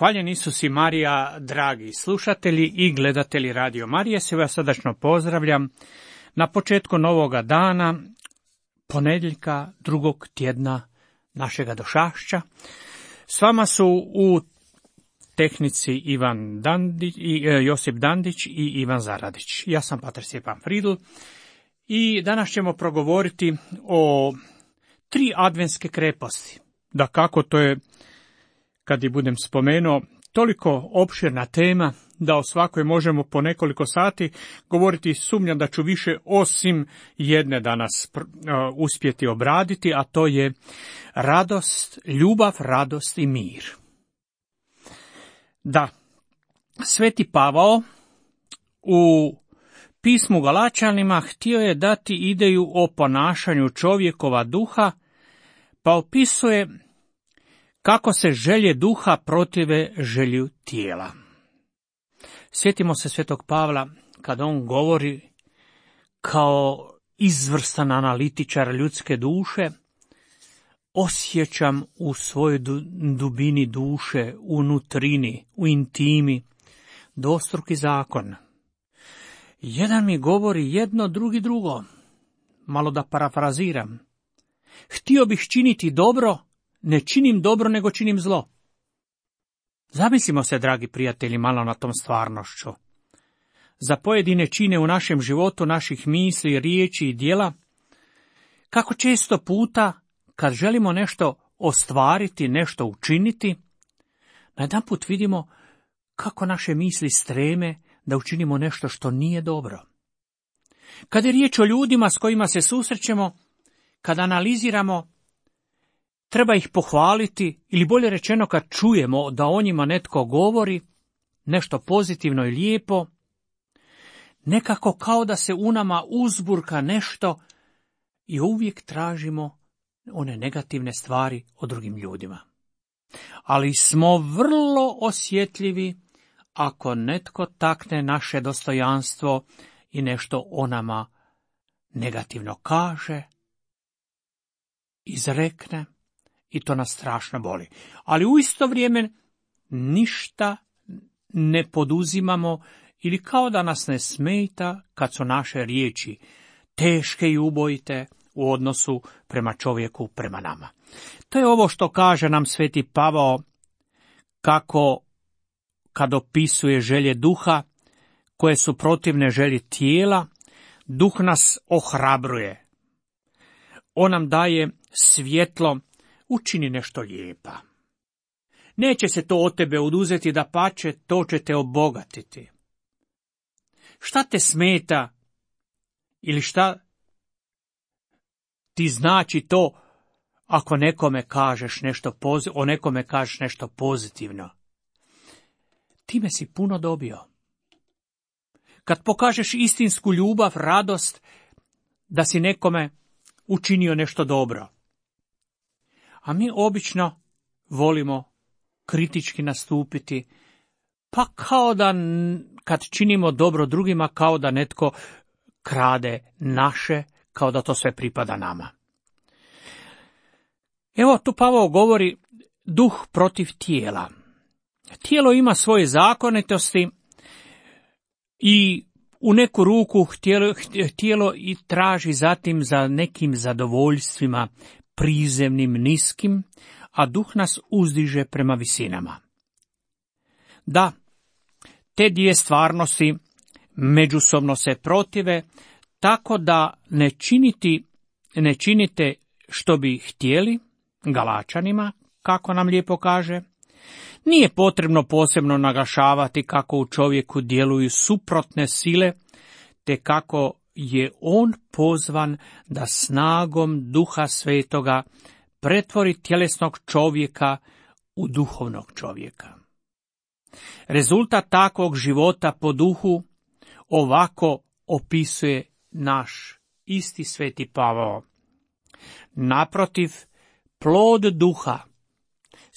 Hvaljen Isus i Marija, dragi slušatelji i gledatelji Radio Marije, sve vas srdačno pozdravljam na početku novoga dana, ponedjeljka drugog tjedna našega došašća. S vama su u tehnici Josip Dandić i Ivan Zaradić. Ja sam pater Stjepan Fridl i danas ćemo progovoriti o 3 adventske kreposti. Da kako to je, kad i budem spomenuo, toliko opširna tema da o svakoj možemo po nekoliko sati govoriti. Sumnjam da ću više osim jedne danas uspjeti obraditi, a to je radost, ljubav, radost i mir. Da, Sveti Pavao u pismu Galačanima htio je dati ideju o ponašanju čovjekova duha, pa opisuje kako se želje duha protive želju tijela. Sjetimo se Svetog Pavla kad on govori kao izvrstan analitičar ljudske duše: osjećam u svojoj dubini duše, u nutrini, u intimi, dvostruki zakon. Jedan mi govori jedno, drugi drugo. Malo da parafraziram. Htio bih činiti dobro, ne činim dobro, nego činim zlo. Zamislimo se, dragi prijatelji, malo na tom stvarnošću. Za pojedine čine u našem životu, naših misli, riječi i djela, kako često puta, kad želimo nešto ostvariti, nešto učiniti, najedanput vidimo kako naše misli streme da učinimo nešto što nije dobro. Kad je riječ o ljudima s kojima se susrećemo, kad analiziramo, treba ih pohvaliti, ili bolje rečeno kad čujemo da o njima netko govori nešto pozitivno i lijepo, nekako kao da se u nama uzburka nešto i uvijek tražimo one negativne stvari o drugim ljudima. Ali smo vrlo osjetljivi ako netko takne naše dostojanstvo i nešto o nama negativno kaže, izrekne, i to nas strašno boli. Ali u isto vrijeme ništa ne poduzimamo ili kao da nas ne smeta kad su naše riječi teške i ubojite u odnosu prema čovjeku, prema nama. To je ovo što kaže nam Sveti Pavao, kako kad opisuje želje duha koje su protivne želji tijela, duh nas ohrabruje. On nam daje svjetlo, učini nešto lijepa. Neće se to od tebe oduzeti, dapače, to će te obogatiti. Šta te smeta ili šta ti znači to ako nekome kažeš o nekome kažeš nešto pozitivno? Time si puno dobio. Kad pokažeš istinsku ljubav, radost, da si nekome učinio nešto dobro. A mi obično volimo kritički nastupiti, pa kao da kad činimo dobro drugima, kao da netko krade naše, kao da to sve pripada nama. Evo tu Pavao govori duh protiv tijela. Tijelo ima svoje zakonitosti i u neku ruku tijelo i traži zatim za nekim zadovoljstvima prizemnim, niskim, a duh nas uzdiže prema visinama. Da, te dvije stvarnosti međusobno se protive, tako da ne činite što bi htjeli, Galačanima, kako nam lijepo kaže. Nije potrebno posebno naglašavati kako u čovjeku djeluju suprotne sile, te kako je on pozvan da snagom Duha Svetoga pretvori tjelesnog čovjeka u duhovnog čovjeka. Rezultat takvog života po duhu ovako opisuje naš isti Sveti Pavao. Naprotiv, plod duha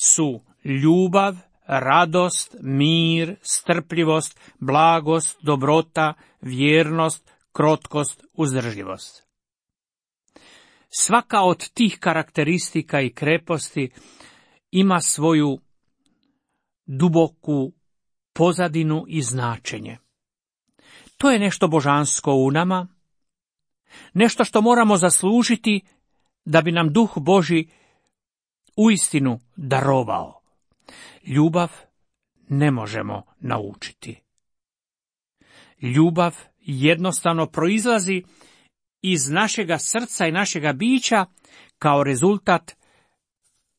su ljubav, radost, mir, strpljivost, blagost, dobrota, vjernost, krotkost, uzdržljivost. Svaka od tih karakteristika i kreposti ima svoju duboku pozadinu i značenje. To je nešto božansko u nama, nešto što moramo zaslužiti da bi nam Duh Božji uistinu darovao. Ljubav ne možemo naučiti. Ljubav jednostavno proizlazi iz našega srca i našega bića kao rezultat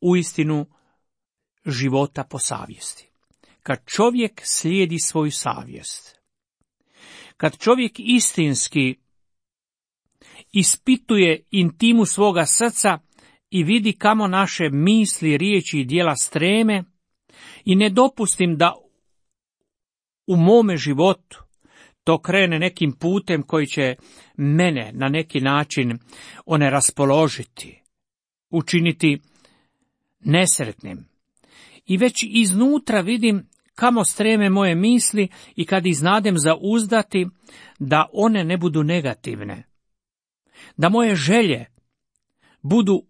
uistinu života po savjesti. Kad čovjek slijedi svoju savjest, kad čovjek istinski ispituje intimu svoga srca i vidi kamo naše misli, riječi i djela streme i ne dopustim da u mome životu to krene nekim putem koji će mene na neki način raspoložiti, učiniti nesretnim. I već iznutra vidim kamo streme moje misli i kad iznadem zauzdati da one ne budu negativne, da moje želje budu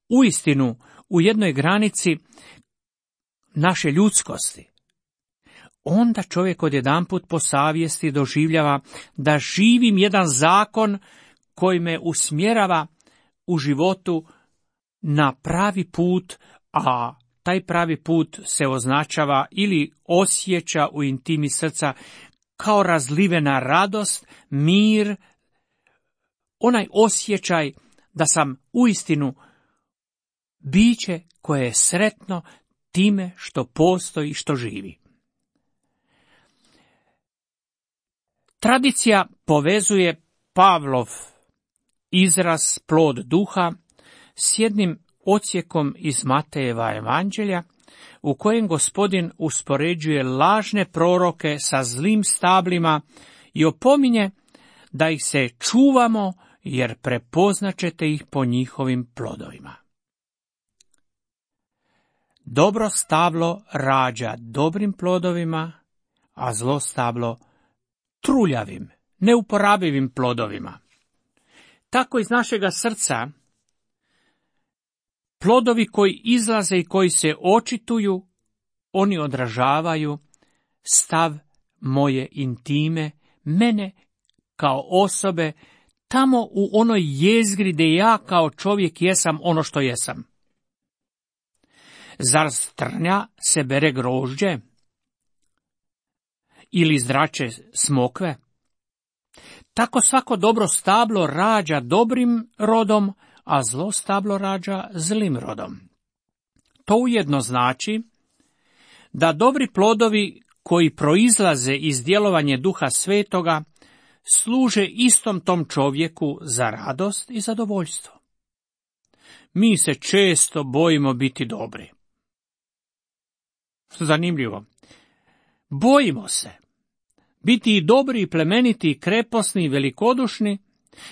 uistinu u jednoj granici naše ljudskosti, onda čovjek odjedanput po savjesti doživljava da živim jedan zakon koji me usmjerava u životu na pravi put, a taj pravi put se označava ili osjeća u intimi srca kao razlivena radost, mir, onaj osjećaj da sam uistinu biće koje je sretno time što postoji i što živi. Tradicija povezuje Pavlov izraz plod duha s jednim odsjekom iz Matejeva evanđelja u kojem Gospodin uspoređuje lažne proroke sa zlim stablima i opominje da ih se čuvamo jer prepoznaćete ih po njihovim plodovima. Dobro stablo rađa dobrim plodovima, a zlo stablo truljavim, neuporabivim plodovima. Tako iz našega srca plodovi koji izlaze i koji se očituju, oni odražavaju stav moje intime, mene kao osobe, tamo u onoj jezgri gdje ja kao čovjek jesam ono što jesam. Zar s trnja se bere grožđe? Ili zrače smokve? Tako svako dobro stablo rađa dobrim rodom, a zlo stablo rađa zlim rodom. To ujedno znači da dobri plodovi koji proizlaze iz djelovanja Duha Svetoga služe istom tom čovjeku za radost i zadovoljstvo. Mi se često bojimo biti dobri. Zanimljivo. Bojimo se biti i dobri, i plemeniti, i kreposni, i velikodušni,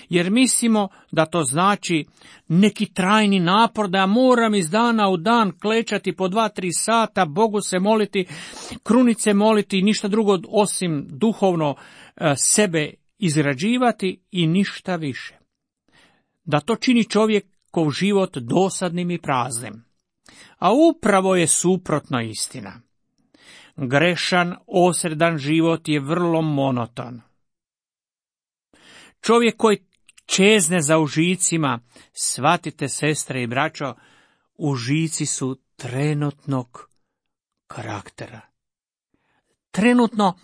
jer mislimo da to znači neki trajni napor, da ja moram iz dana u dan klečati po 2-3 sata, Bogu se moliti, krunice moliti, ništa drugo osim duhovno sebe izrađivati i ništa više. Da to čini čovjekov život dosadnim i praznim. A upravo je suprotno istina. Grešan, osredan život je vrlo monoton. Čovjek koji čezne za užicima, shvatite sestre i braćo, užici su trenutnog karaktera. Trenutno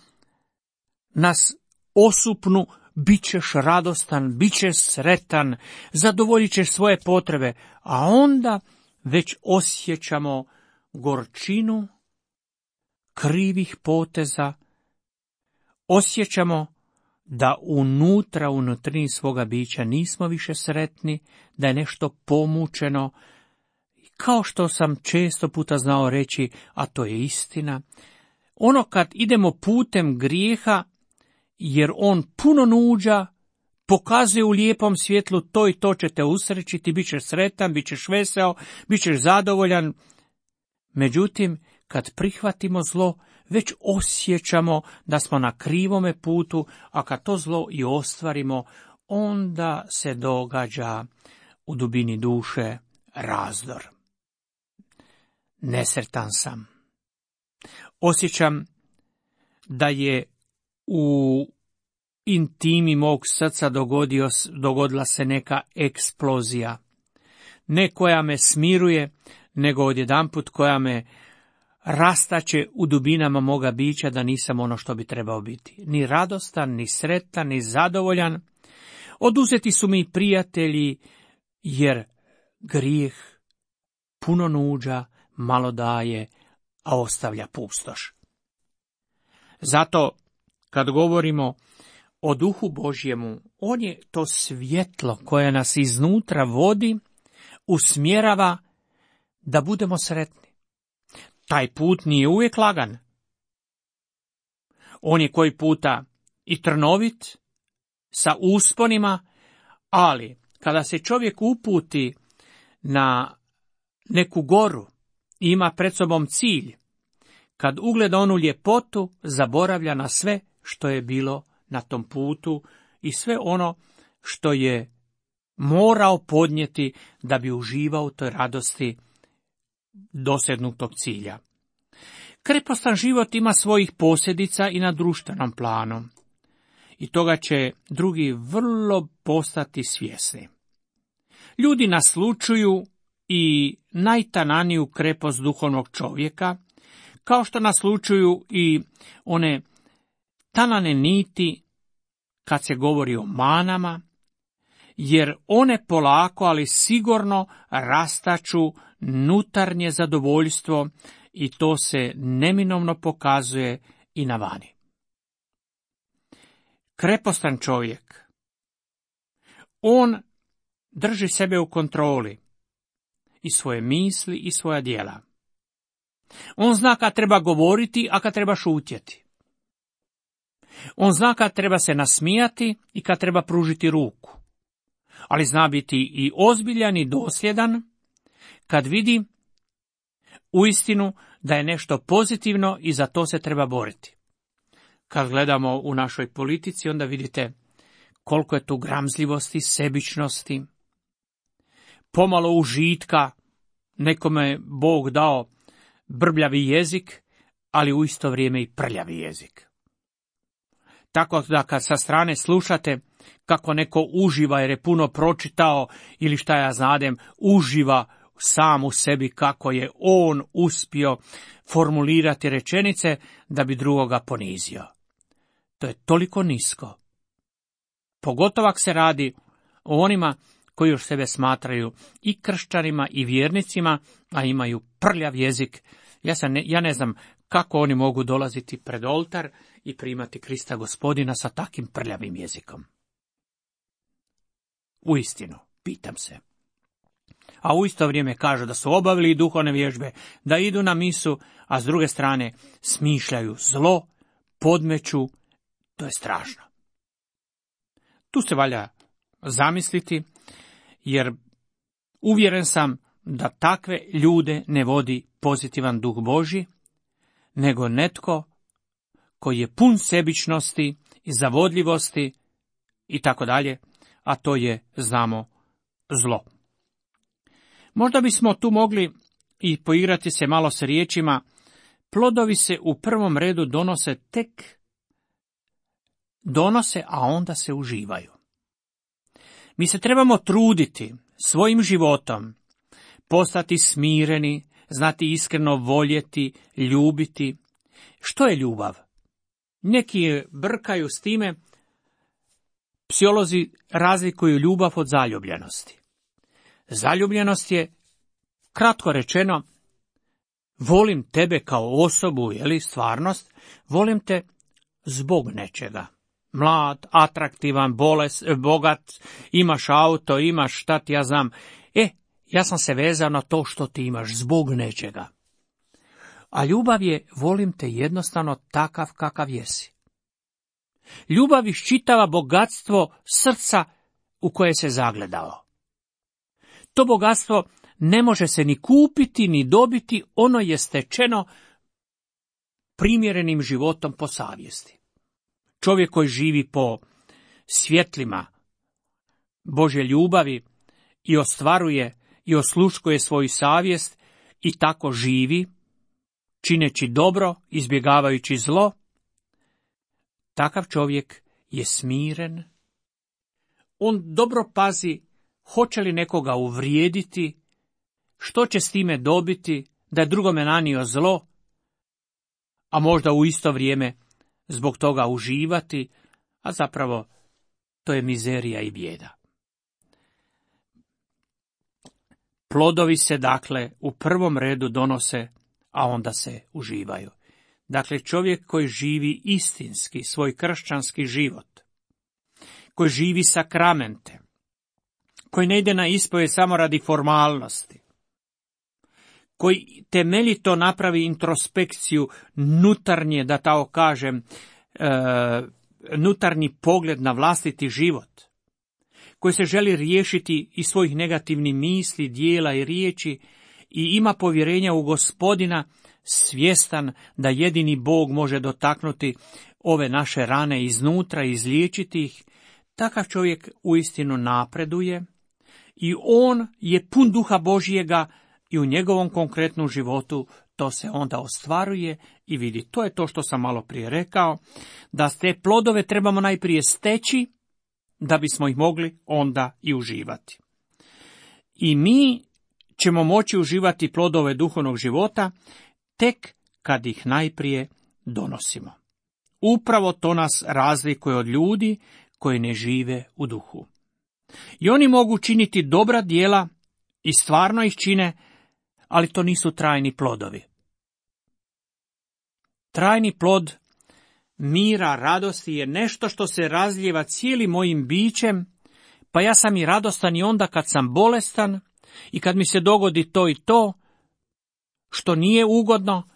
nas osupnu, bit ćeš radostan, bit ćeš sretan, zadovoljit ćeš svoje potrebe, a onda već osjećamo gorčinu krivih poteza, osjećamo da unutrini svoga bića nismo više sretni, da je nešto pomučeno, kao što sam često puta znao reći, a to je istina, ono kad idemo putem grijeha, jer on puno nuđa, pokazuje u lijepom svjetlu to i to će te usrećiti, bit ćeš sretan, bit ćeš veseo, bit ćeš zadovoljan. Međutim, kad prihvatimo zlo, već osjećamo da smo na krivome putu, a kad to zlo i ostvarimo, onda se događa u dubini duše razdor. Nesretan sam. Osjećam da je u intimi mog srca dogodila se neka eksplozija. Ne koja me smiruje, nego odjedanput koja me rastače u dubinama moga bića da nisam ono što bi trebao biti. Ni radostan, ni sretan, ni zadovoljan. Oduzeti su mi prijatelji, jer grijeh puno nuđa, malo daje, a ostavlja pustoš. Zato, kad govorimo o Duhu Božjemu, on je to svjetlo koje nas iznutra vodi, usmjerava da budemo sretni. Taj put nije uvijek lagan. On je koji puta i trnovit, sa usponima, ali kada se čovjek uputi na neku goru i ima pred sobom cilj, kad ugleda onu ljepotu, zaboravlja na sve što je bilo na tom putu i sve ono što je morao podnijeti da bi uživao u toj radosti dosegnutog cilja. Krepostan život ima svojih posljedica i na društvenom planu. I toga će drugi vrlo postati svjesni. Ljudi naslučuju i najtananiju krepost duhovnog čovjeka, kao što naslučuju i one tanane niti kad se govori o manama, jer one polako, ali sigurno rastaču nutarnje zadovoljstvo i to se neminovno pokazuje i na vani. Krepostan čovjek, on drži sebe u kontroli i svoje misli i svoja djela. On zna kad treba govoriti, a kad treba šutjeti. On zna kad treba se nasmijati i kad treba pružiti ruku. Ali zna biti i ozbiljan i dosljedan kad vidi uistinu da je nešto pozitivno i za to se treba boriti. Kad gledamo u našoj politici, onda vidite koliko je tu gramzljivosti, sebičnosti, pomalo užitka, nekome Bog dao brbljavi jezik, ali u isto vrijeme i prljavi jezik. Tako da kad sa strane slušate kako neko uživa jer je puno pročitao ili šta ja znadem, uživa sam u sebi kako je on uspio formulirati rečenice da bi drugoga ponizio. To je toliko nisko. Pogotovo ako se radi o onima koji još sebe smatraju i kršćanima i vjernicima, a imaju prljav jezik. Ja ne znam kako oni mogu dolaziti pred oltar i primati Krista Gospodina sa takim prljavim jezikom. Uistinu, pitam se. A u isto vrijeme kažu da su obavili duhovne vježbe, da idu na misu, a s druge strane smišljaju zlo, podmeću, to je strašno. Tu se valja zamisliti, jer uvjeren sam da takve ljude ne vodi pozitivan duh Božji, nego netko koji je pun sebičnosti i zavodljivosti i tako dalje, a to je, znamo, zlo. Možda bismo tu mogli i poigrati se malo s riječima, plodovi se u prvom redu donose, a onda se uživaju. Mi se trebamo truditi svojim životom, postati smireni, znati iskreno voljeti, ljubiti. Što je ljubav? Neki brkaju s time, psiholozi razlikuju ljubav od zaljubljenosti. Zaljubljenost je, kratko rečeno, volim tebe kao osobu, stvarnost, volim te zbog nečega. Mlad, atraktivan, bogat, imaš auto, imaš šta ti ja znam. Ja sam se vezao na to što ti imaš, zbog nečega. A ljubav je, volim te jednostavno takav kakav jesi. Ljubav iščitava bogatstvo srca u koje se zagledao. To bogatstvo ne može se ni kupiti, ni dobiti, ono je stečeno primjerenim životom po savjesti. Čovjek koji živi po svjetlima Božje ljubavi i ostvaruje i osluškuje svoju savjest i tako živi, čineći dobro, izbjegavajući zlo, takav čovjek je smiren. On dobro pazi hoće li nekoga uvrijediti, što će s time dobiti, da je drugome nanio zlo, a možda u isto vrijeme zbog toga uživati, a zapravo to je mizerija i bijeda. Plodovi se, dakle, u prvom redu donose, a onda se uživaju. Dakle, čovjek koji živi istinski svoj kršćanski život, koji živi sakramente, koji ne ide na ispovjed samo radi formalnosti, koji temeljito napravi introspekciju nutarnje, da tako kažem, nutarnji pogled na vlastiti život, koji se želi riješiti iz svojih negativnih misli, dijela i riječi i ima povjerenja u Gospodina, svjestan da jedini Bog može dotaknuti ove naše rane iznutra i izliječiti ih, takav čovjek uistinu napreduje i on je pun duha Božjega i u njegovom konkretnom životu to se onda ostvaruje i vidi. To je to što sam malo prije rekao, da te plodove trebamo najprije steći, da bismo ih mogli onda i uživati. I mi ćemo moći uživati plodove duhovnog života tek kad ih najprije donosimo. Upravo to nas razlikuje od ljudi koji ne žive u duhu. I oni mogu činiti dobra djela i stvarno ih čine, ali to nisu trajni plodovi. Trajni plod mira, radosti je nešto što se razlijeva cijelim mojim bićem, pa ja sam i radostan i onda kad sam bolestan i kad mi se dogodi to i to, što nije ugodno.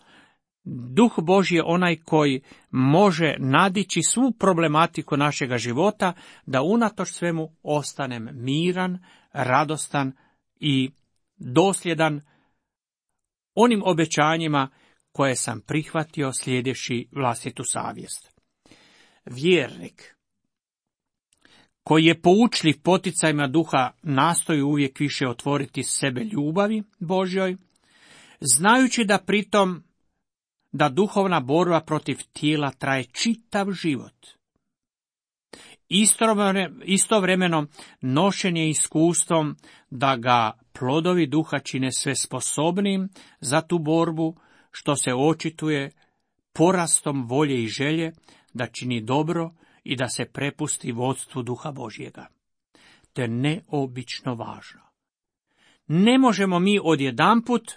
Duh Božji je onaj koji može nadići svu problematiku našega života, da unatoč svemu ostanem miran, radostan i dosljedan onim obećanjima koje sam prihvatio slijedeći vlastitu savjest. Vjernik koji je poučljiv poticajima duha nastoji uvijek više otvoriti sebe ljubavi Božjoj, znajući da pritom duhovna borba protiv tijela traje čitav život. Istovremeno nošen je iskustvom da ga plodovi duha čine sve sposobnim za tu borbu, što se očituje porastom volje i želje da čini dobro i da se prepusti vodstvu duha Božjega. To je neobično važno. Ne možemo mi odjedanput,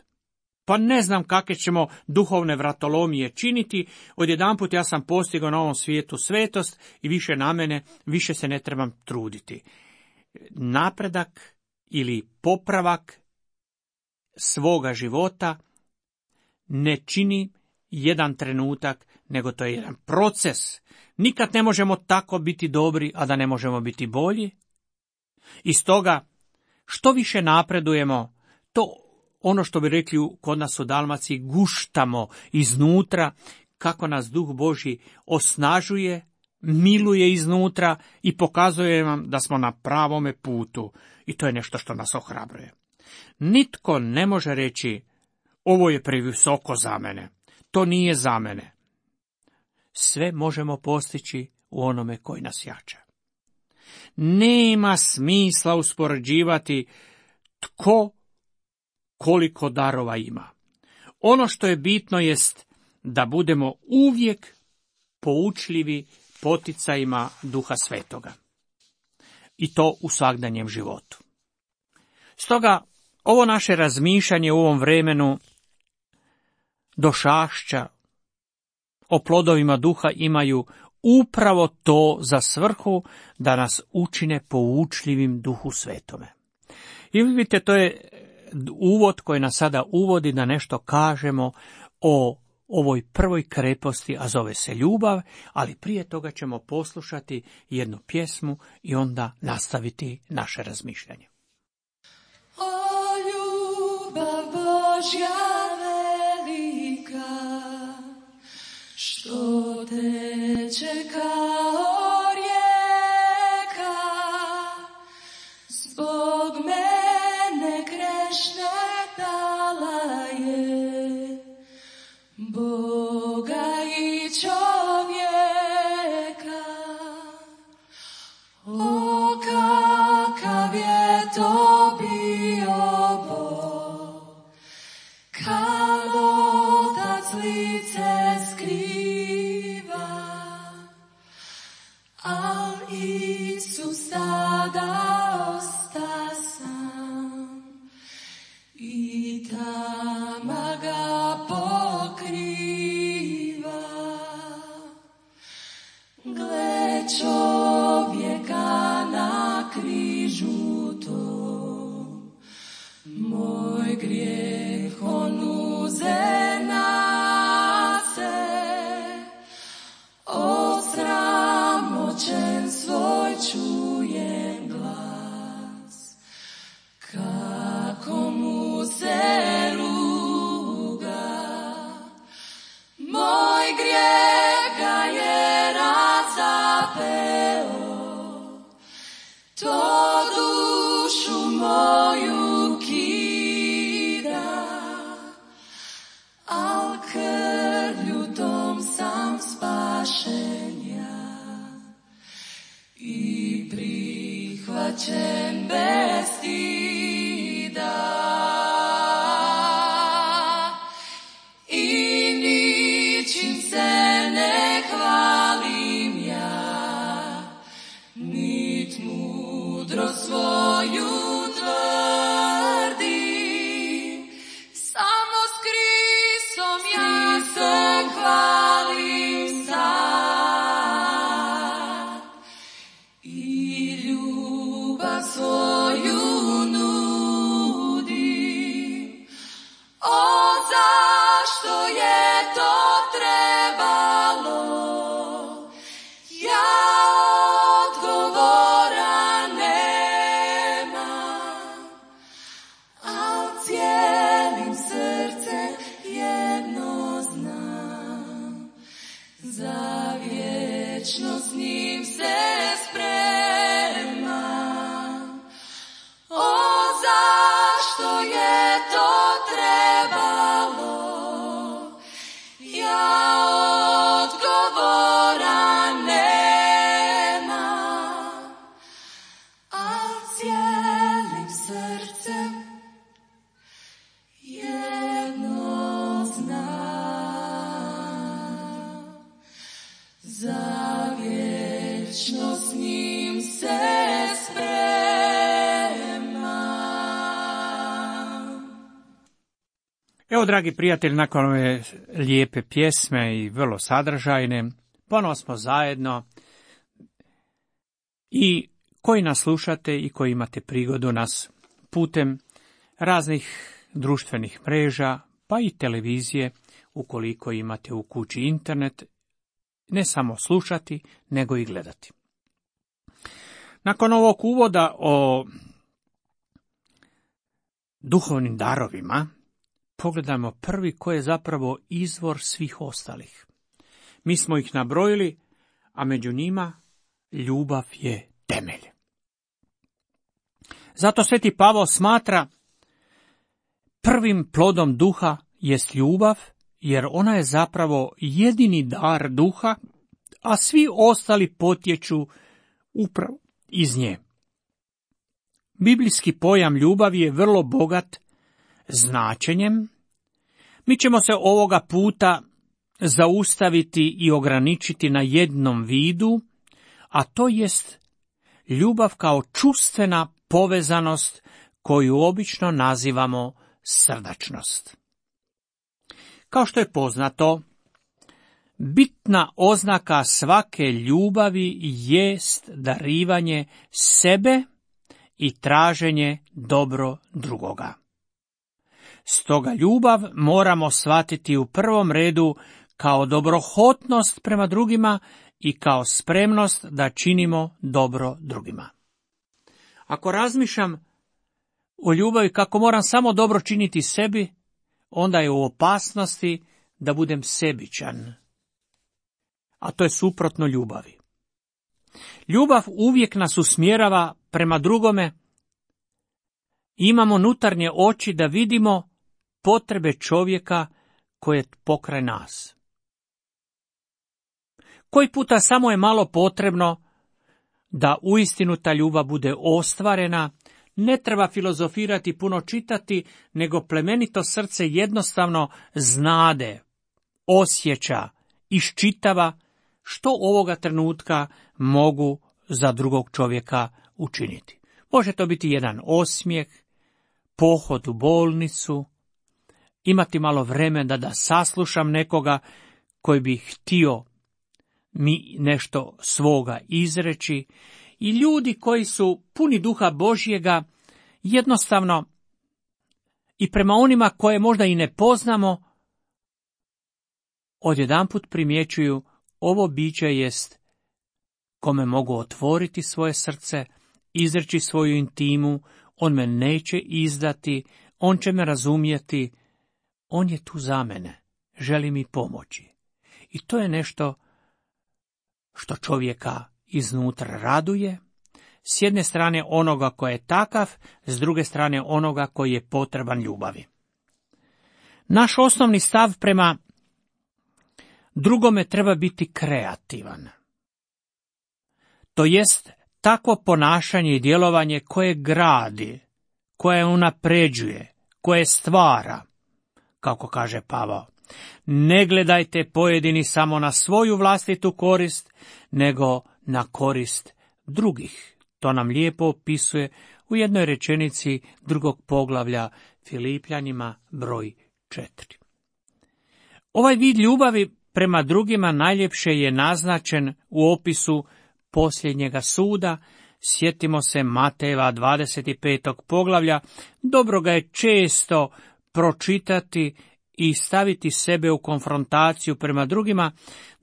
pa ne znam kakve ćemo duhovne vratolomije činiti, odjedanput ja sam postigao na ovom svijetu svetost i više na mene, više se ne trebam truditi. Napredak ili popravak svoga života ne čini jedan trenutak, nego to je jedan proces. Nikad ne možemo tako biti dobri, a da ne možemo biti bolji. I stoga, što više napredujemo, to ono što bi rekli kod nas u Dalmaciji, guštamo iznutra, kako nas Duh Božji osnažuje, miluje iznutra i pokazuje nam da smo na pravome putu. I to je nešto što nas ohrabruje. Nitko ne može reći, ovo je previsoko za mene, to nije za mene. Sve možemo postići u onome koji nas jača. Nema smisla uspoređivati tko koliko darova ima. Ono što je bitno jest da budemo uvijek poučljivi poticajima Duha Svetoga. I to u svagdanjem životu. Stoga, ovo naše razmišljanje u ovom vremenu došašća o plodovima duha imaju upravo to za svrhu da nas učine poučljivim Duhu Svetome. I vidite, to je uvod koji nas sada uvodi da nešto kažemo o ovoj prvoj kreposti, a zove se ljubav, ali prije toga ćemo poslušati jednu pjesmu i onda nastaviti naše razmišljanje. O ljubav Božja velika, što teče kao rijeka, zbog mene grešne dala je, tama ga pokriva. Gle čovjeka na križu tom, moj grijeh on uze na se, osramoćen svoj čujem glas, kako mu se ruga, moj grijeh ga je razapeo, to dušu moju kida, al krvlju tom sam spašen ja i prihvaćen bez stida. I ničim se ne hvalim ja, nit mudro svoju tvrdim, samo s Kristom ja se hvalim sad i ljubav svoju nudim. O, zašto je to trebalo? Ja odgovora nemam, al cijelim srcem jedno znam, za vječno s njim se spremam. O, zašto je to trebalo? Ja odgovora nemam, al cijelim srcem jedno znam, za vječno s njim se spremam. Evo, dragi prijatelji, nakon ove lijepe pjesme i vrlo sadržajne, ponovo smo zajedno i koji nas slušate i koji imate prigodu nas putem raznih društvenih mreža, pa i televizije, ukoliko imate u kući internet, ne samo slušati, nego i gledati. Nakon ovog uvoda o duhovnim darovima, pogledajmo prvi koji je zapravo izvor svih ostalih. Mi smo ih nabrojili, a među njima ljubav je temelj. Zato sveti Pavao smatra prvim plodom duha jest ljubav, jer ona je zapravo jedini dar duha, a svi ostali potječu upravo iz nje. Biblijski pojam ljubavi je vrlo bogat značenjem. Mi ćemo se ovoga puta zaustaviti i ograničiti na jednom vidu, a to jest ljubav kao čustvena povezanost koju obično nazivamo srdačnost. Kao što je poznato, bitna oznaka svake ljubavi jest darivanje sebe i traženje dobro drugoga. Stoga ljubav moramo shvatiti u prvom redu kao dobrohotnost prema drugima i kao spremnost da činimo dobro drugima. Ako razmišljam o ljubavi kako moram samo dobro činiti sebi, onda je u opasnosti da budem sebičan. A to je suprotno ljubavi. Ljubav uvijek nas usmjerava prema drugome. Imamo unutarnje oči da vidimo potrebe čovjeka koje je pokraj nas. Koji puta samo je malo potrebno da uistinu ta ljubav bude ostvarena. Ne treba filozofirati, puno čitati, nego plemenito srce jednostavno znade, osjeća, iščitava što ovoga trenutka mogu za drugog čovjeka učiniti. Može to biti jedan osmijeh, pohod u bolnicu, imati malo vremena da saslušam nekoga koji bi htio mi nešto svoga izreći, i ljudi koji su puni duha Božjega jednostavno i prema onima koje možda i ne poznamo, odjedanput primjećuju ovo biće jest kome mogu otvoriti svoje srce, izreći svoju intimu, on me neće izdati, on će me razumjeti, on je tu za mene, želi mi pomoći. I to je nešto što čovjeka iznutra raduje, s jedne strane onoga koji je takav, s druge strane onoga koji je potreban ljubavi. Naš osnovni stav prema drugome treba biti kreativan. To jest takvo ponašanje i djelovanje koje gradi, koje unapređuje, koje stvara, kako kaže Pavao. Ne gledajte pojedini samo na svoju vlastitu korist, nego na korist drugih. To nam lijepo opisuje u jednoj rečenici 2. poglavlja Filipljanima broj 4. Ovaj vid ljubavi prema drugima najljepše je naznačen u opisu posljednjega suda. Sjetimo se Matejeva 25. poglavlja, dobro ga je često pročitati i staviti sebe u konfrontaciju prema drugima.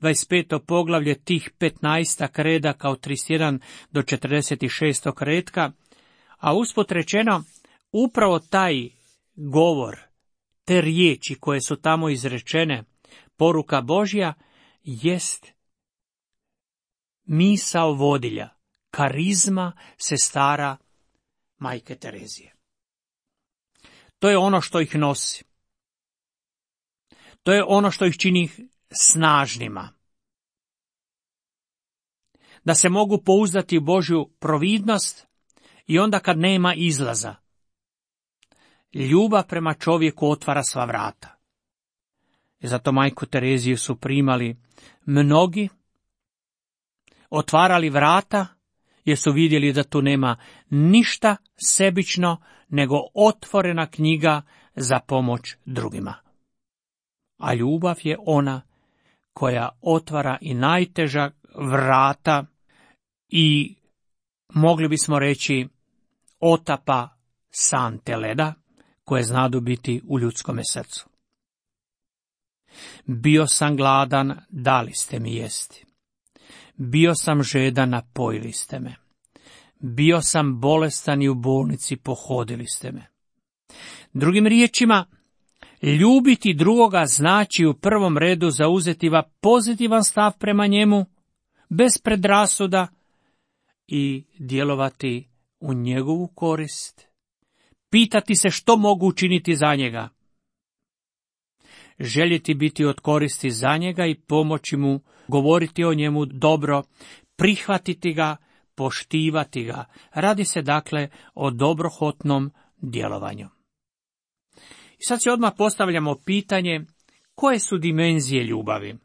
25. poglavlje, tih 15 redaka od 31 do 46. redka, a usput rečeno, upravo taj govor, te riječi koje su tamo izrečene, poruka Božja, jest misao vodilja, karizma sestara Majke Terezije. To je ono što ih nosi. To je ono što ih čini snažnima. Da se mogu pouzdati u Božju providnost i onda kad nema izlaza. Ljubav prema čovjeku otvara sva vrata. I zato Majku Tereziju su primali mnogi, otvarali vrata, jer su vidjeli da tu nema ništa sebično, nego otvorena knjiga za pomoć drugima. A ljubav je ona koja otvara i najteža vrata i, mogli bismo reći, otapa sante leda koje znadu biti u ljudskome srcu. Bio sam gladan, dali ste mi jesti. Bio sam žedan, napojili ste me. Bio sam bolestan i u bolnici pohodili ste me. Drugim riječima, ljubiti drugoga znači u prvom redu zauzeti pozitivan stav prema njemu, bez predrasuda, i djelovati u njegovu korist. Pitati se što mogu učiniti za njega. Željeti biti od koristi za njega i pomoći mu, govoriti o njemu dobro, prihvatiti ga, poštivati ga. Radi se dakle o dobrohotnom djelovanju. I sad se odmah postavljamo pitanje, koje su dimenzije ljubavi?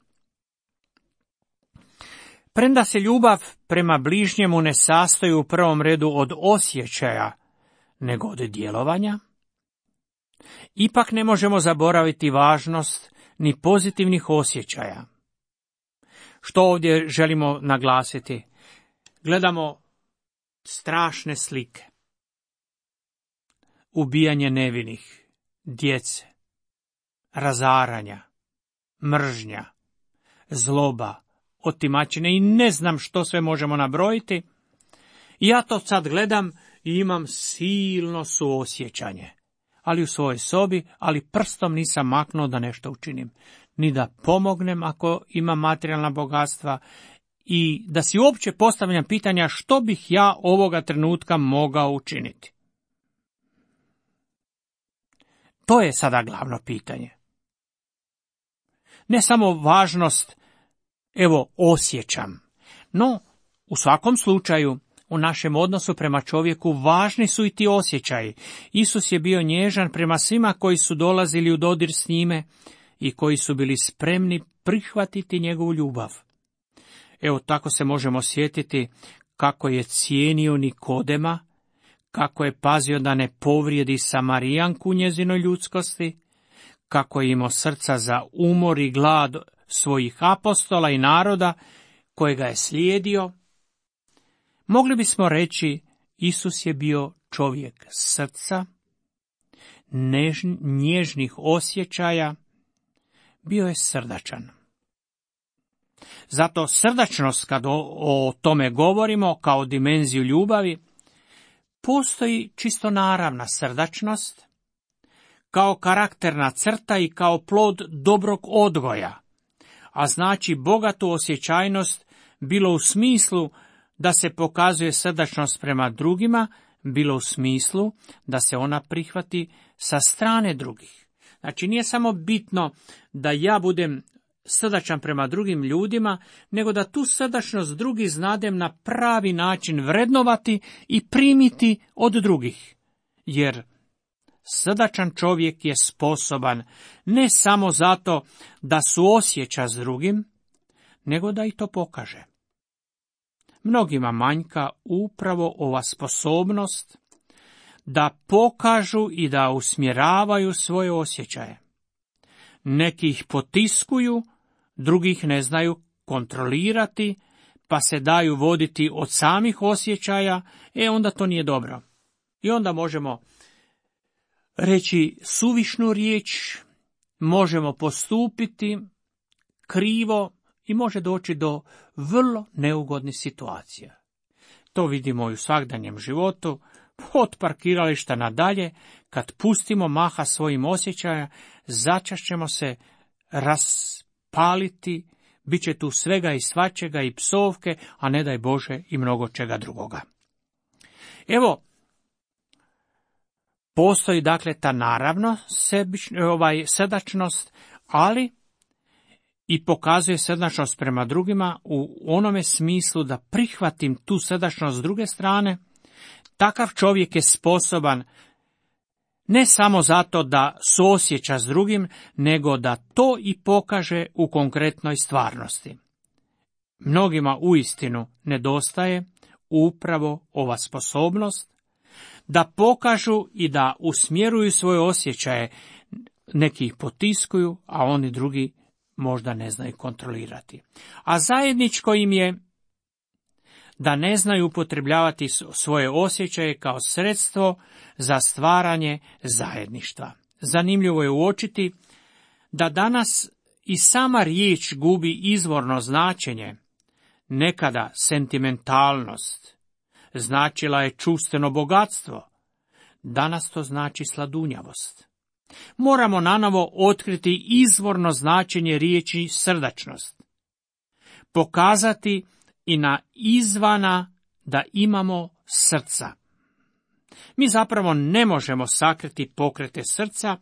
Premda se ljubav prema bližnjemu ne sastoji u prvom redu od osjećaja, nego od djelovanja, ipak ne možemo zaboraviti važnost ni pozitivnih osjećaja. Što ovdje želimo naglasiti? Gledamo strašne slike. Ubijanje nevinih, djece, razaranja, mržnja, zloba, otimačine i ne znam što sve možemo nabrojiti. I ja to sad gledam i imam silno suosjećanje. Ali u svojoj sobi, ali prstom nisam maknuo da nešto učinim. Ni da pomognem ako imam materijalna bogatstva i da si uopće postavljam pitanja što bih ja ovoga trenutka mogao učiniti. To je sada glavno pitanje. Ne samo važnost, osjećam, no u svakom slučaju u našem odnosu prema čovjeku važni su i ti osjećaji. Isus je bio nježan prema svima koji su dolazili u dodir s njime i koji su bili spremni prihvatiti njegovu ljubav. Tako se možemo sjetiti kako je cijenio Nikodema, kako je pazio da ne povrijedi Samarijanku u njezinoj ljudskosti, kako je imao srca za umor i glad svojih apostola i naroda kojega je slijedio, mogli bismo reći Isus je bio čovjek srca, nježnih osjećaja, bio je srdačan. Zato srdačnost, kad o tome govorimo kao dimenziju ljubavi, postoji čisto naravna srdačnost, kao karakterna crta i kao plod dobrog odgoja, a znači bogatu osjećajnost bilo u smislu da se pokazuje srdačnost prema drugima, bilo u smislu da se ona prihvati sa strane drugih. Znači nije samo bitno da ja budem srdačan prema drugim ljudima, nego da tu srdačnost drugih znadem na pravi način vrednovati i primiti od drugih. Jer srdačan čovjek je sposoban ne samo zato da suosjeća s drugim, nego da i to pokaže. Mnogima manjka upravo ova sposobnost da pokažu i da usmjeravaju svoje osjećaje. Neki ih potiskuju, drugih ne znaju kontrolirati, pa se daju voditi od samih osjećaja, onda to nije dobro. I onda možemo reći suvišnu riječ, možemo postupiti krivo i može doći do vrlo neugodnih situacija. To vidimo i u svakdanjem životu, od parkirališta nadalje, kad pustimo maha svojim osjećaja, začas ćemo se raspaliti, bit će tu svega i svačega i psovke, a ne daj Bože i mnogo čega drugoga. Evo, postoji dakle ta naravno srdačnost, ali i pokazuje srdačnost prema drugima u onome smislu da prihvatim tu srdačnost s druge strane. Takav čovjek je sposoban ne samo zato da suosjeća s drugim, nego da to i pokaže u konkretnoj stvarnosti. Mnogima uistinu nedostaje upravo ova sposobnost da pokažu i da usmjeruju svoje osjećaje, neki ih potiskuju, a oni drugi možda ne znaju kontrolirati. A zajedničko im je da ne znaju upotrebljavati svoje osjećaje kao sredstvo za stvaranje zajedništva. Zanimljivo je uočiti da danas i sama riječ gubi izvorno značenje. Nekada sentimentalnost značila je čuvstveno bogatstvo, danas to znači sladunjavost. Moramo nanovo otkriti izvorno značenje riječi srdačnost, pokazati i na izvana da imamo srca. Mi zapravo ne možemo sakriti pokrete srca,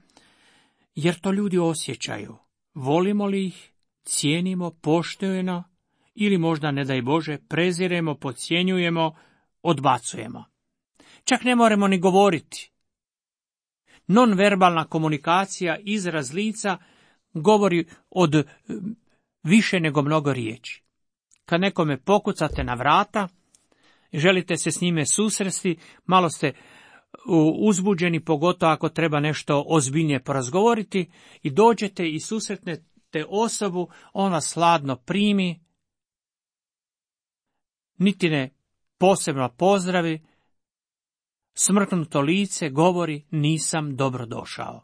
jer to ljudi osjećaju. Volimo li ih, cijenimo, poštujemo ili možda, ne daj Bože, preziremo, podcjenjujemo, odbacujemo. Čak ne moramo ni govoriti. Nonverbalna komunikacija, izraz lica, govori od više nego mnogo riječi. Kad nekome pokucate na vrata, želite se s njime susresti, malo ste uzbuđeni, pogotovo ako treba nešto ozbiljnije porazgovoriti, i dođete i susretnete osobu, on vas hladno primi, niti ne posebno pozdravi, smrknuto lice govori nisam dobro došao.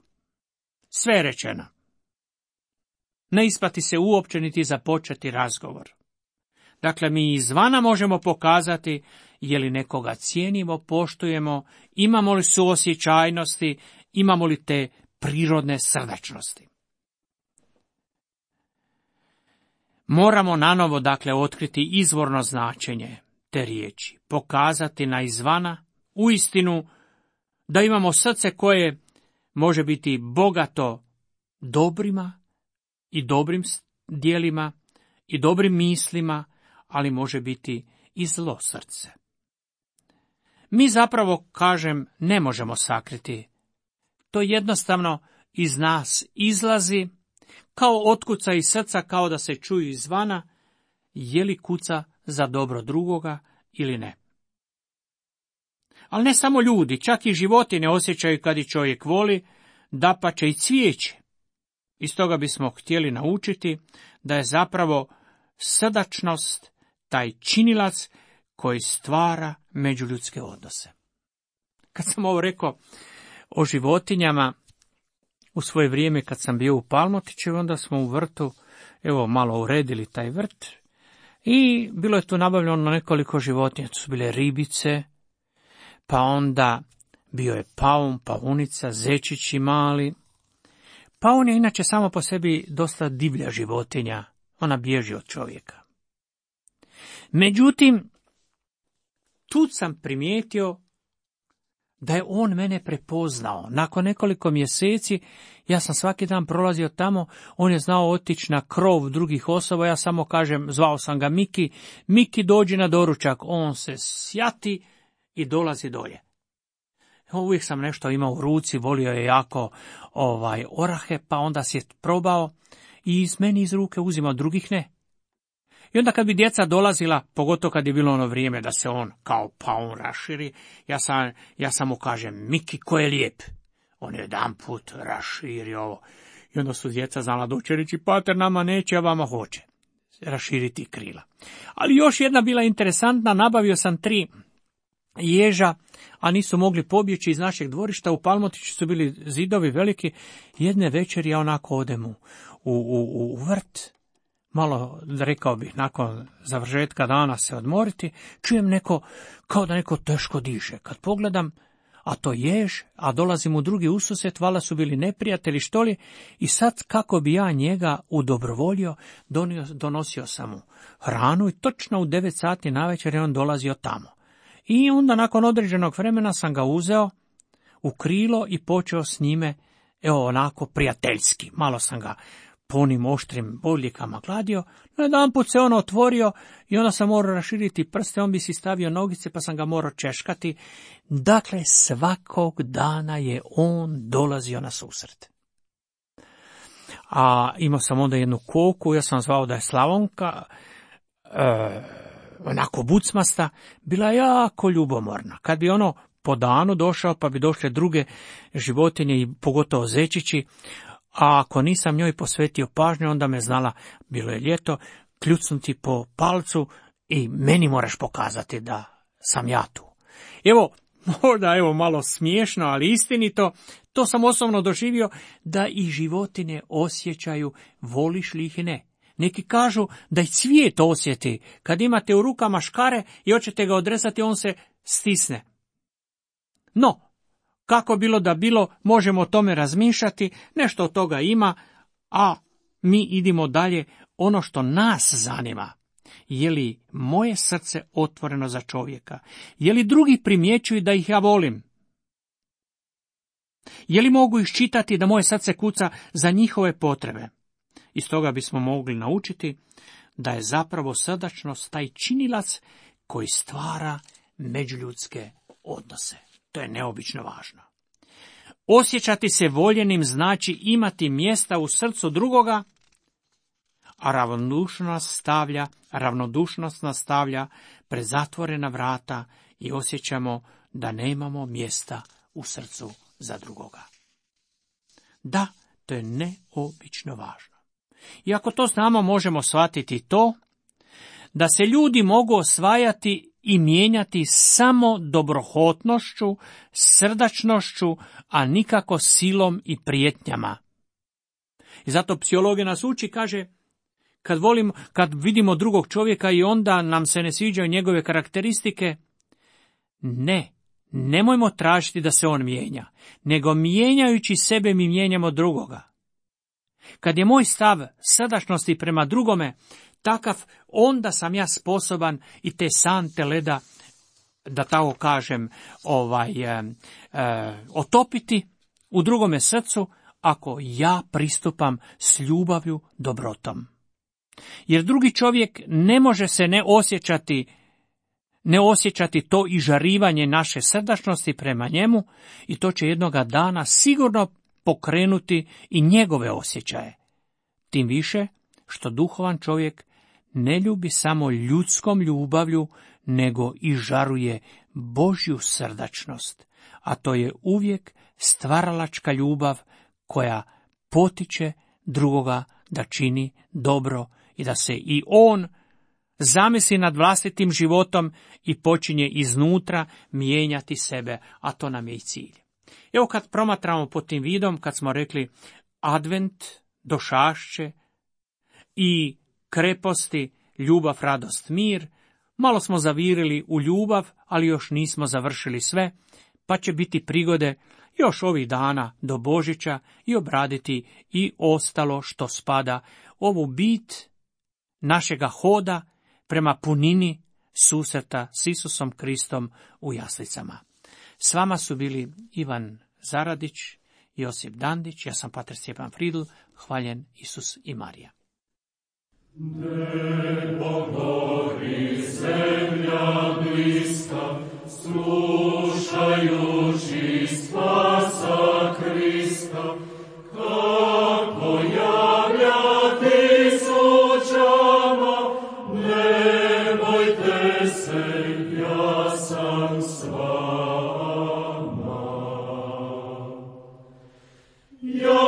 Sve je rečeno. Ne isplati se uopće niti započeti razgovor. Dakle, mi izvana možemo pokazati je li nekoga cijenimo, poštujemo, imamo li suosjećajnosti, imamo li te prirodne srdačnosti. Moramo nanovo, dakle, otkriti izvorno značenje te riječi, pokazati na izvana uistinu da imamo srce koje može biti bogato dobrima i dobrim djelima i dobrim mislima, ali može biti i zlo srce. Mi zapravo, kažem, ne možemo sakriti. To jednostavno iz nas izlazi, kao otkuca iz srca, kao da se čuju izvana, je li kuca za dobro drugoga ili ne. Ali ne samo ljudi, čak i životinje osjećaju kad ih čovjek voli, dapače i cvijeće. Iz toga bismo htjeli naučiti da je zapravo srdačnost taj činilac koji stvara međuljudske odnose. Kad sam ovo rekao o životinjama, u svoje vrijeme kad sam bio u Palmotiću, onda smo u vrtu, malo uredili taj vrt i bilo je tu nabavljeno nekoliko životinja. To su bile ribice, pa onda bio je paun, paunica, zečići mali. Paun je inače samo po sebi dosta divlja životinja, ona bježi od čovjeka. Međutim, tu sam primijetio da je on mene prepoznao. Nakon nekoliko mjeseci, ja sam svaki dan prolazio tamo, on je znao otići na krov drugih osoba, ja samo kažem, zvao sam ga Miki, Miki dođi na doručak, on se sjati i dolazi dolje. Uvijek sam nešto imao u ruci, volio je jako orahe, pa onda si je probao i meni iz ruke uzimao, drugih ne. I onda kad bi djeca dolazila, pogotovo kad je bilo ono vrijeme da se on kao paun raširi, ja samo kažem, Miki, ko je lijep. On je jedanput raširio ovo. I onda su djeca znala doći reći, pater, nama neće, a vama hoće raširiti krila. Ali još jedna bila interesantna, nabavio sam 3 ježa, a nisu mogli pobjeći iz našeg dvorišta. U Palmotiću su bili zidovi veliki. Jedne večeri ja onako odem u vrt, malo, rekao bih, nakon završetka dana se odmoriti, čujem kao da neko teško diše. Kad pogledam, a to jež, a dolazim u drugi ususret, valjda su bili neprijatelji što li, i sad kako bi ja njega udobrovolio, donosio sam mu hranu i točno u 9 sati navečer je on dolazio tamo. I onda nakon određenog vremena sam ga uzeo u krilo i počeo s njime, onako prijateljski. Malo sam ga po onim oštrim bodljikama gladio, no jedanput se on otvorio i onda sam morao raširiti prste, on bi si stavio nogice pa sam ga morao češkati. Dakle, svakog dana je on dolazio na susret. A imao sam onda jednu koku, ja sam zvao da je Slavonka, onako bucmasta, bila jako ljubomorna. Kad bi ono po danu došao, pa bi došle druge životinje i pogotovo zečići, a ako nisam njoj posvetio pažnju, onda me znala, bilo je ljeto, kljucnuti po palcu i meni moraš pokazati da sam ja tu. Možda malo smiješno, ali istinito, to sam osobno doživio, da i životinje osjećaju, voliš li ih ne. Neki kažu da i cvijet osjeti, kad imate u rukama škare i hoćete ga odrezati, on se stisne. No, kako bilo da bilo, možemo o tome razmišljati, nešto od toga ima, a mi idemo dalje. Ono što nas zanima, je li moje srce otvoreno za čovjeka? Je li drugi primjećuju da ih ja volim? Je li mogu iščitati da moje srce kuca za njihove potrebe? Iz toga bismo mogli naučiti da je zapravo srdačnost taj činilac koji stvara međuljudske odnose. To je neobično važno. Osjećati se voljenim znači imati mjesta u srcu drugoga, a ravnodušnost nastavlja pred zatvorena vrata i osjećamo da nemamo mjesta u srcu za drugoga. Da, to je neobično važno. I ako to znamo, možemo shvatiti to da se ljudi mogu osvajati i mijenjati samo dobrohotnošću, srdačnošću, a nikako silom i prijetnjama. I zato psihologija nas uči, kaže, kad vidimo drugog čovjeka i onda nam se ne sviđaju njegove karakteristike, nemojmo tražiti da se on mijenja, nego mijenjajući sebe mi mijenjamo drugoga. Kad je moj stav srdačnosti prema drugome takav, onda sam ja sposoban i te sante leda, da tako kažem, otopiti u drugome srcu, ako ja pristupam s ljubavlju, dobrotom. Jer drugi čovjek ne može se ne osjećati to i žarivanje naše srdačnosti prema njemu, i to će jednoga dana sigurno pokrenuti i njegove osjećaje. Tim više što duhovan čovjek ne ljubi samo ljudskom ljubavlju, nego i žaruje Božju srdačnost, a to je uvijek stvaralačka ljubav koja potiče drugoga da čini dobro i da se i on zamisli nad vlastitim životom i počinje iznutra mijenjati sebe, a to nam je i cilj. Evo kad promatramo pod tim vidom, kad smo rekli advent, došašće i kreposti, ljubav, radost, mir, malo smo zavirili u ljubav, ali još nismo završili sve, pa će biti prigode još ovih dana do Božića i obraditi i ostalo što spada ovu bit našega hoda prema punini susreta s Isusom Kristom u jaslicama. S vama su bili Ivan Zaradić, Josip Dandić, ja sam pater Stjepan Fridl, hvaljen Isus i Marija. Nebo gori, zemlja bliska, slušajući spasa Krista, kako javlja tisućama, ne bojte se, ja sam s vama. Ja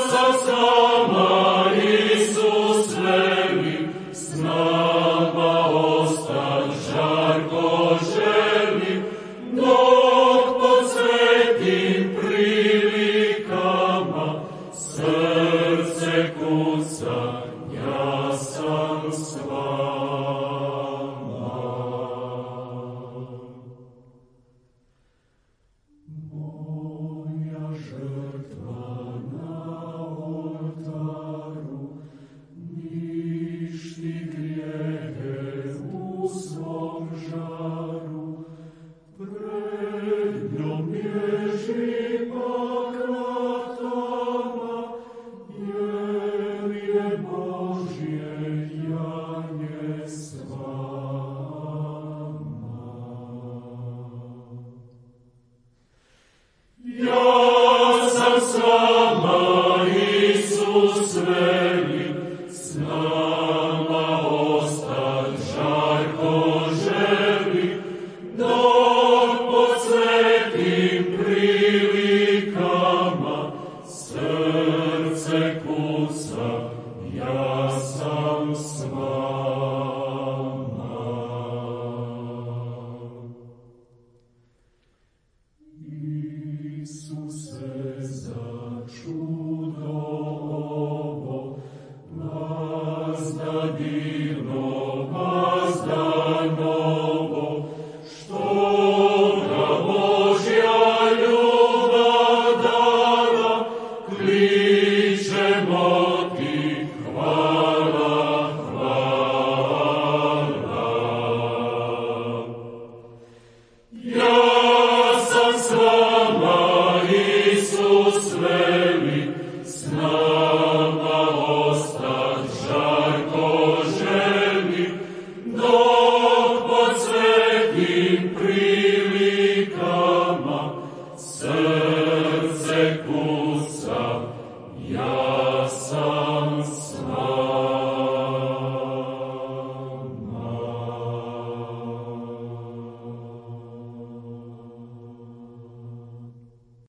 sam s vama, Isus veli, s nama ostat žarko želi, dok pod svetim prilikama srce kuca, ja sam s vama. Moja žrtva na oltaru ništi grijehe u svom žaru, pred njom bježi pak vratama, jer je Božje janje s vama. Ja sam s vama, Isus veli, s nama ostat žarko želi, dok pod svetim prilikama srce kuca, ja sam s vama. Isuse, za čudo ovo, vazda divno, vazda novo, što ga Božja ljubav dala, kličemo ti hvala, hvala. Ja